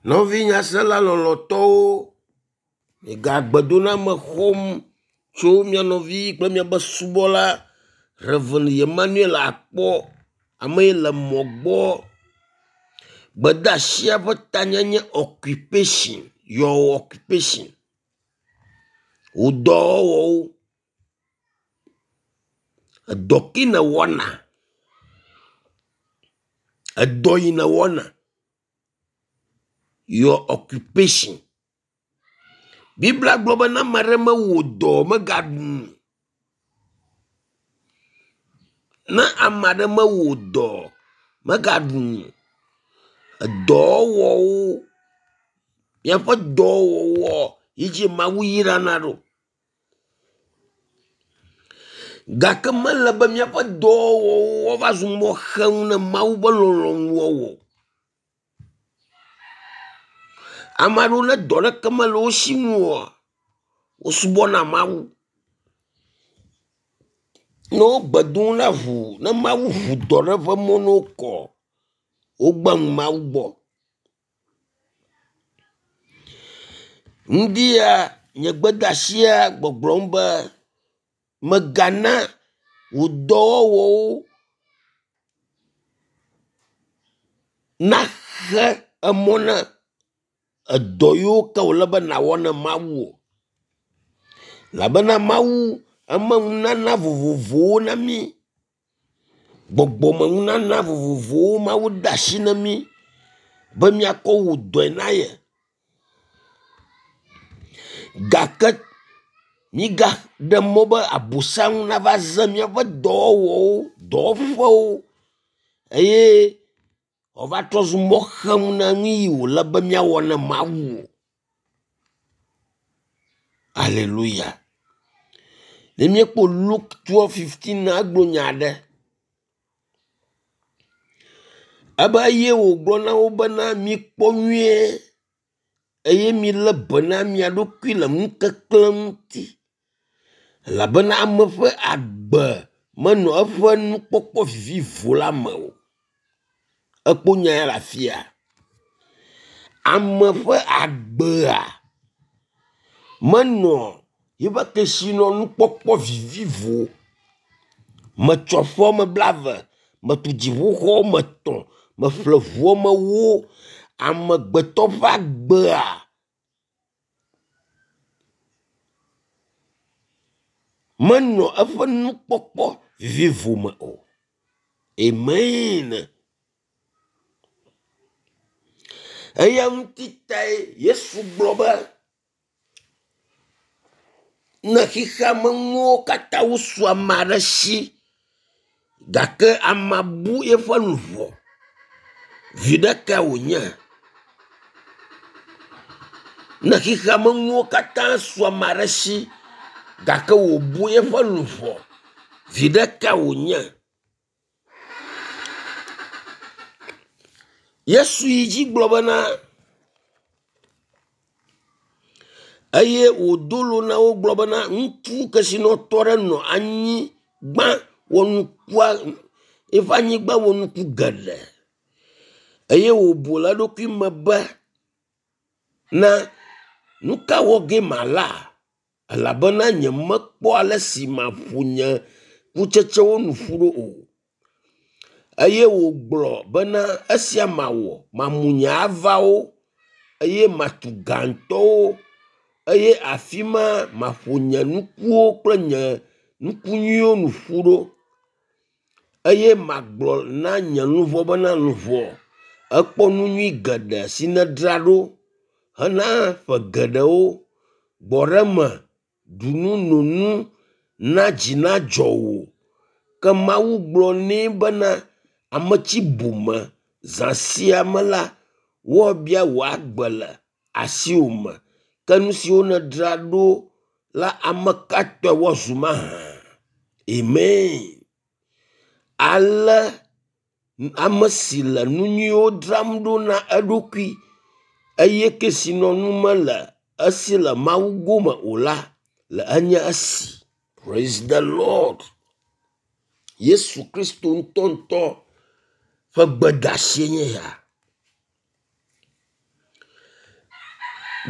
Nɔvi nyasela lɔlɔtɔwo, migagbedoname xɔm tso mia nɔvi kple miaƒe subɔla Rev. Emmanuel Akpɔ, ame yi le mɔ gbɔ. Gbedeasia ƒe tanye nye occupation, your occupation. Wò dɔwɔwɔwo. Edɔ ke nèwɔna. Edɔ yi nèwɔna. Your occupation. Biblia gblɔ be ne ame aɖe mewɔ dɔ o megaɖu nu. Ne ame aɖe mewɔ dɔ o megaɖu nu. Edɔwɔwɔwo míaƒe dɔwɔwɔ yi dzi Mawu yrana ɖo. Gake mele be míaƒe dɔwɔwɔwo woava zu mɔxenu ne Mawu ƒe lɔlɔ̃nu wɔwɔ o. Ame aɖewo ne dɔ ɖeke mele wo si ŋu oa, wosubɔna Mawu. Ne wo gbe dom ɖa ŋuu, ne Mawu ŋu dɔ ɖe ƒe mɔ na wo kɔ, wogbe nu Mawu gbɔ. Ŋdi ya nye gbedeasia gbɔgblɔm be mègana wò dɔwɔwɔwo naxe emɔ na edɔ yiwo ke wòle be nàwɔ na Mawu o. Elabena Mawu eme nunana vovovowo na mí. Gbɔgbɔmenunana vovovowo Mawu de asi na mí be míakɔ wɔ dɔe na ye. Gake mígaɖe mɔ be abosam nava ze míaƒe dɔwɔwɔwo, dɔwɔƒewo eye wòava trɔ zu mɔxenu na nu yi wòle be míawɔ na Mawu o. Aleluya. Ne míekpɔ Luke 12:15 egblɔ nya aɖe. Ebe eye wògblɔ na wo bena mikpɔ nyuie eye milé be na mia ɖokui le ŋukeklẽ ŋuti elabena ame ƒe agbe menɔ eƒe nukpɔkpɔ vivivo la me o. Ekpɔ nya ya le afia. Ame ƒe agbea menɔ yiƒe kesinɔnukpɔkpɔ vivivo. Metsɔ ƒe wɔme blave, metu dziƒoxɔ wɔme etɔ̃, meƒle ŋu wɔme ewo. Amegbetɔ ƒe agbea menɔ eƒe nukpɔkpɔ vivivo me o. Amen. Eya ŋuti tae Yesu gblɔ be ne xexea me nuwo katã wosu ame aɖe si gake amea bu eƒe luʋɔ, viɖe kae wònye? Ne xexea me nuwo katã su ame aɖe si gake wòbu eƒe luʋɔ, viɖe kae wònye? Yesu yi dzi gblɔ bena eye wòdo lo na wo gblɔ bena ŋutsu kesinɔtɔ aɖe nɔ anyigba wɔnukua eƒe anyigba wɔ nuku geɖe eye wòbu le eɖokui me be na nu ka wɔ ge mala elabena nyemekpɔ ale si maƒo nye kutsetsewo nu ƒu ɖo o. Eye wògblɔ bena esia mawɔ, mamu nye avawo eye matu gãtɔwo eye afi ma maƒo nye nukuwo kple nye nuku nyuiwo nu ƒu ɖo eye magblɔ na nye luʋɔ bena luʋɔ ekpɔ nu nyui geɖe si nèdzra ɖo hena ƒe geɖewo. Gbɔ ɖe eme, ɖu nu, no nu, na dzi nadzɔ wò. Ke Mawu gblɔ nɛ bena ame tsi bome zã sia me la, woabia wò agbe le asiwò me. Ke nu siwo nèdzra ɖo la ame ka tɔe woazu mahã? Amen. Ale ame si le nu nyuiwo dzram ɖo na eɖokui eye kesinɔnu mele esi le Mawu gome o la le enye esi. Praise the Lord. Yesu Kristo ŋutɔŋutɔ ƒe gbedeasie nye ya.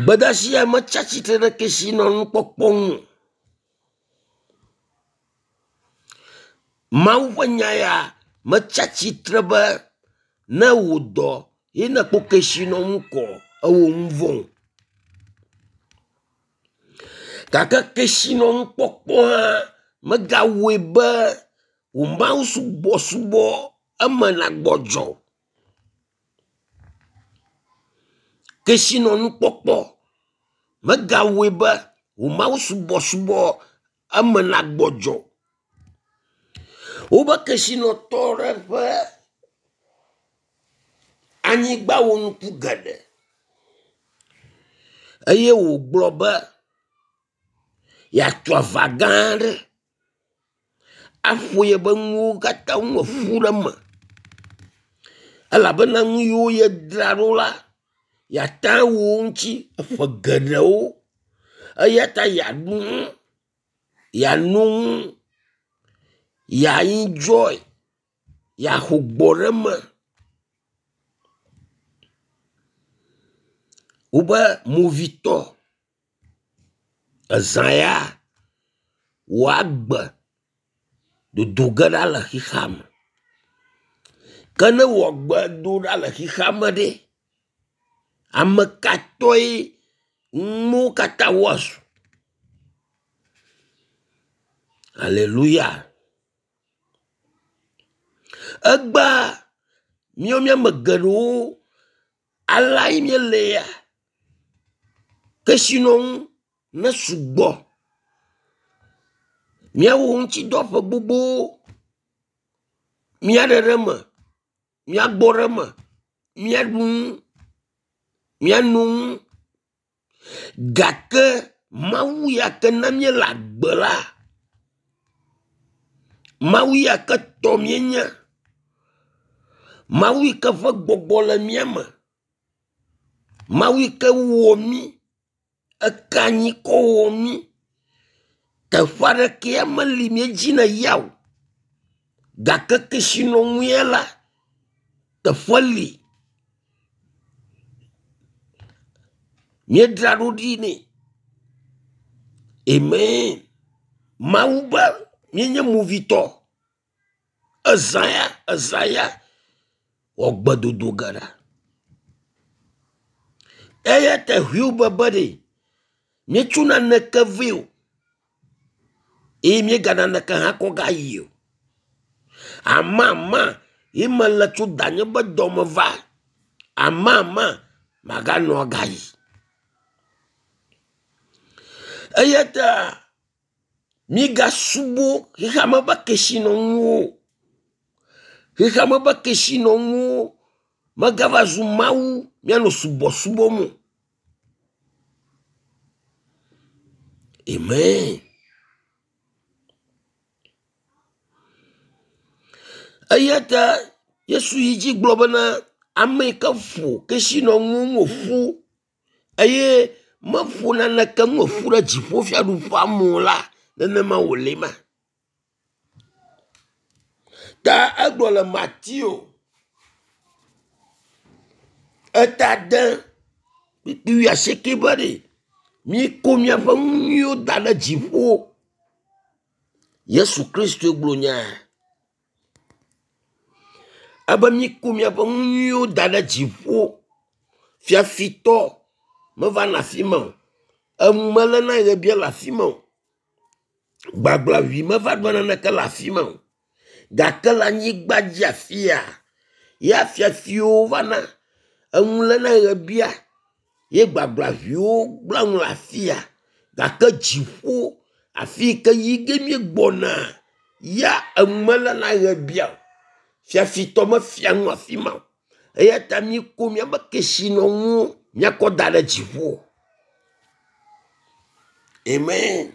Gbedeasi ya metsi atsitre ɖe kesinɔnukpɔkpɔ ŋu o. Mawu ƒe nya ya metsi atsitre be ne wò dɔ ye nekpɔ kesinɔnu kɔ ewɔ nu vɔ̃ o. Gake kesinɔnukpɔkpɔ hã megawɔe be wò mawusubɔsubɔ eme nagbɔdzɔ o. Kesinɔnukpɔkpɔ megawɔe be wò mawusubɔsubɔ eme nagbɔdzɔ o. Wobe kesinɔtɔ ɖe ƒe anyigba wɔ nuku geɖe eye wògblɔ be yeatu ava gã aɖe aƒo yeƒe nuwo katã nu ƒu ɖe eme elabena nu yiwo yedzra ɖo la, yeate awɔ wo ŋuti ƒe geɖewo eya ta yeaɖu nu, yeano nu, yeaenjoy, yeaxo gbɔ ɖe eme. Wobe movitɔ ezã ya wòagbe dodo ge ɖa le xexea me. Ke ne wò agbe do ɖa le xexea me ɖe, ame ka tɔe nuwo katã woazu? Aleluya. Egbea míawo míame geɖewo aleae míele ya. Kesinɔnu ne sugbɔ. Míawɔ ŋutidɔ ƒe gbogbowo. Míaɖe ɖe eme, míagbɔ ɖe eme, míaɖu nu, míano nu. Gake Mawu ya ke na míele agbe la, Mawu ya ke tɔ míenye, Mawu yi ke ƒe gbɔgbɔ le mía me, Mawu yi ke wɔ mí, eke anyi kɔ wɔ mí. Teƒe aɖeke ya meli míedzina yia o. Gake kesinɔnu ya la, teƒe li. Míedzra ɖo ɖi nɛ. Amen. Mawu be míenye movitɔ. Ezã ya, ezã ya wɔ gbedodo ge ɖa. Eya ta Hiob be ɖe míetso naneke vɛ o eye míega naneke hã kɔ gayi o. Amama ye mele tso danye be dɔme va. Amama maganɔ agayi. Eya ta mígasubɔ xexeame ƒe kesinɔnuwo o. Xexeame ƒe kesinɔnuwo megava zu Mawu míanɔ subɔsubɔm o. Amen. Eya ta Yesu yi dzi gblɔ bena ame yi ke ƒo kesinɔnuwo nu ƒu eye meƒo naneke nu ƒu ɖe dziƒofiaɖuƒea me o la, nenema wòle ma. Ta egblɔ le Mateo eta de kpukpui wuiasieke be ɖe mikɔ miaƒe nu nyuiwo da ɖe dziƒo. Yesu Kristoe gblɔ nya ya. Ebe mikɔ miaƒe nu nyuiwo da ɖe dziƒo. Fiafitɔ mevana afi ma o. Enu meléna ɣebia le afi ma o. Gbagblaʋui meva ɖua naneke le afi ma o. Gake le anyigba dzi afia, ya fiafiwo vana, enu léna ɣebia ye gbagblaʋuiwo gblẽa nu le afia. Gake dziƒo, afi yi ke yi ge míegbɔna ya enu meléna ɣebia o. Fiafitɔ mefia nu afi ma o. Eya ta míko míaƒe kesinɔnuwo míakɔ da ɖe dziƒo. Amen.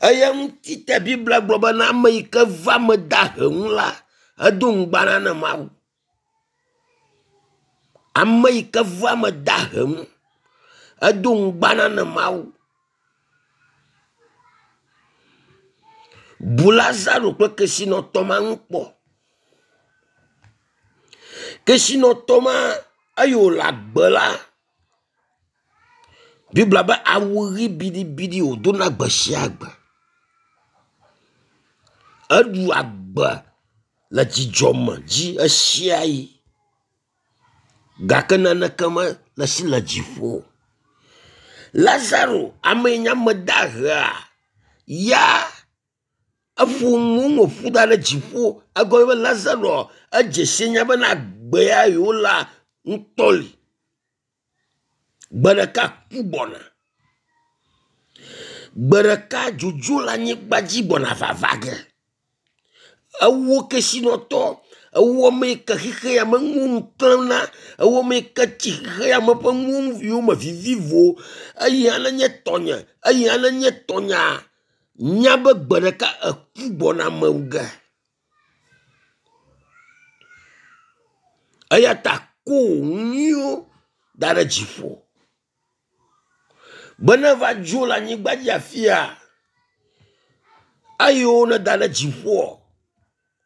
Eya ŋuti ta Biblia gblɔ bena ame yi ke va ame dahe ŋu la, edo ŋugbana na Mawu. Ame yi ke va ame dahe ŋu, edo ŋugbana na Mawu. Bu Lazaro kple kesinɔtɔ ma ŋu kpɔ. Kesinɔtɔ ma eyi wòle agbe la. Biblia be awu ɣi biɖibiɖi wòdona gbe sia gbe. Eɖu agbe le dzidzɔ me dzi ɣesiaɣi gake naneke mele esi le dziƒo o. Lazaro, ame yi nye ame dahea ya eƒo nu ƒu da ɖe dziƒo. Egɔme be Lazaro edze si nya bena agbe ya yewolea ŋutɔ li. Gbe ɖeka ku gbɔna. Gbe ɖeka dzodzo le anyigba dzi gbɔna vava ge. Ewo kesinɔtɔ, ewo ame yi ke xexe ya me nuwo nu klẽm na, ewo ame yi ke tsi xexe ya me ƒe nuwo yome vivivo, eya nenye tɔnye, eya nenye tɔnyea, nya be gbe ɖeka eku gbɔna mewu ge. Eya ta ko nyuiwo da ɖe dziƒo. Be ne va dzo le anyigba dzi afia, eyiwo neda ɖe dziƒoa,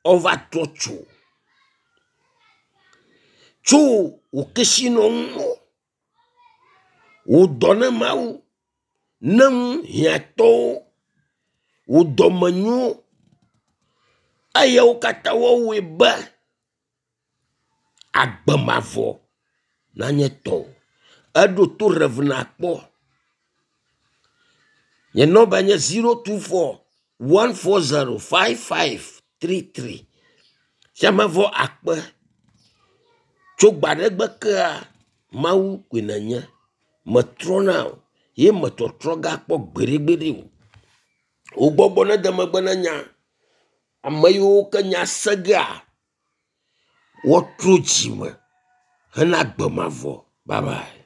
wova trɔ tso. Tso wò kesinɔnuwo, wò dɔ ne Mawu, ne nu hiãtɔwo, wò dɔmenyo, eyawo katã woawɔe be agbe mavɔ nanye tɔwò. Eɖo to Rev. Nakpɔ. Nye nɔmba nye 024 140 5533. Fiamevɔ akpe. Tso gbaɖegbe kea, Mawu koe nènye. Metrɔna o ye metɔtrɔ gakpɔ gbeɖegbeɖe o. Wò gbɔgbɔ nede megbe ne nya. Ame yiwo ke nya se gea, woatrɔ dzime hena agbe mavɔ. Bye bye.